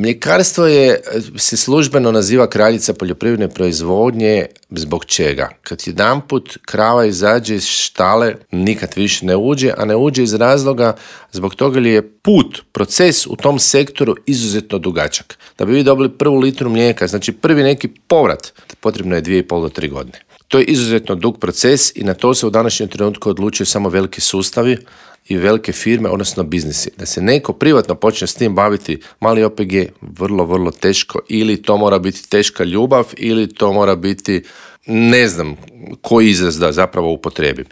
Mljekarstvo se službeno naziva kraljica poljoprivredne proizvodnje. Zbog čega? Kad jedanput krava izađe iz štale, nikad više ne uđe, a ne uđe iz razloga zbog toga jer je proces u tom sektoru izuzetno dugačak. Da bi vi dobili prvu litru mlijeka, znači prvi neki povrat, potrebno je 2,5 do 3 godine. To je izuzetno dug proces i na to se u današnjem trenutku odlučuju samo veliki sustavi i velike firme, odnosno biznisi. Da se neko privatno počne s tim baviti, mali OPG, vrlo, vrlo teško. Ili to mora biti teška ljubav, ili to mora biti, ne znam koji izraz da zapravo upotrijebim.